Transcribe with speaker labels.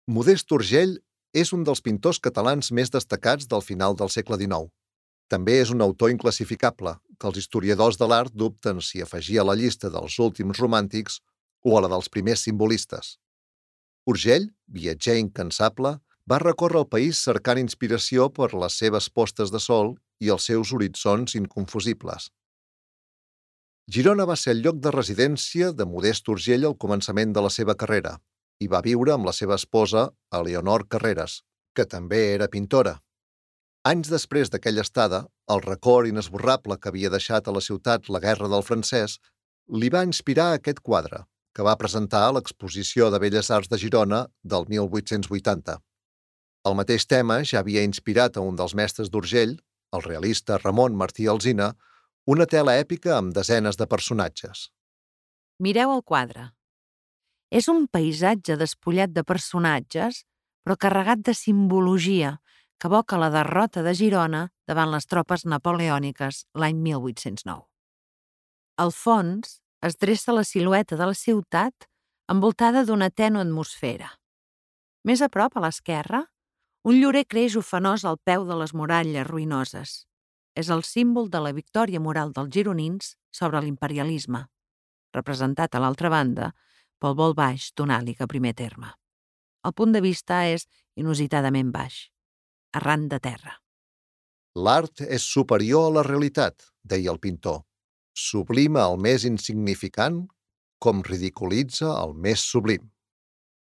Speaker 1: Modest Urgell és un dels pintors catalans més destacats del final del segle XIX. També és un autor inclassificable, que els historiadors de l'art dubten si afegir a la llista dels últims romàntics o a la dels primers simbolistes. Urgell, viatger incansable, va recórrer el país cercant inspiració per les seves postes de sol i els seus horitzons inconfusibles. Girona va ser el lloc de residència de Modest Urgell al començament de la seva carrera i va viure amb la seva esposa, Eleonor Carreras, que també era pintora. Anys després d'aquella estada, el record inesborrable que havia deixat a la ciutat la Guerra del Francès li va inspirar aquest quadre, que va presentar a l'Exposició de Belles Arts de Girona del 1880. El mateix tema ja havia inspirat a un dels mestres d'Urgell, el realista Ramon Martí Alsina, una tela èpica amb desenes de personatges.
Speaker 2: Mireu el quadre. És un paisatge despullat de personatges, però carregat de simbologia, que evoca la derrota de Girona davant les tropes napoleòniques l'any 1809. Al fons es dreça la silueta de la ciutat envoltada d'una tènue atmosfera. Més a prop, a l'esquerra, un llorer creix ofenós al peu de les muralles ruïnoses. És el símbol de la victòria moral dels gironins sobre l'imperialisme, representat a l'altra banda pel vol baix d'un àliga a primer terme. El punt de vista és inusitadament baix, arran de terra.
Speaker 1: L'art és superior a la realitat, deia el pintor. Sublima el més insignificant com ridiculitza el més sublim.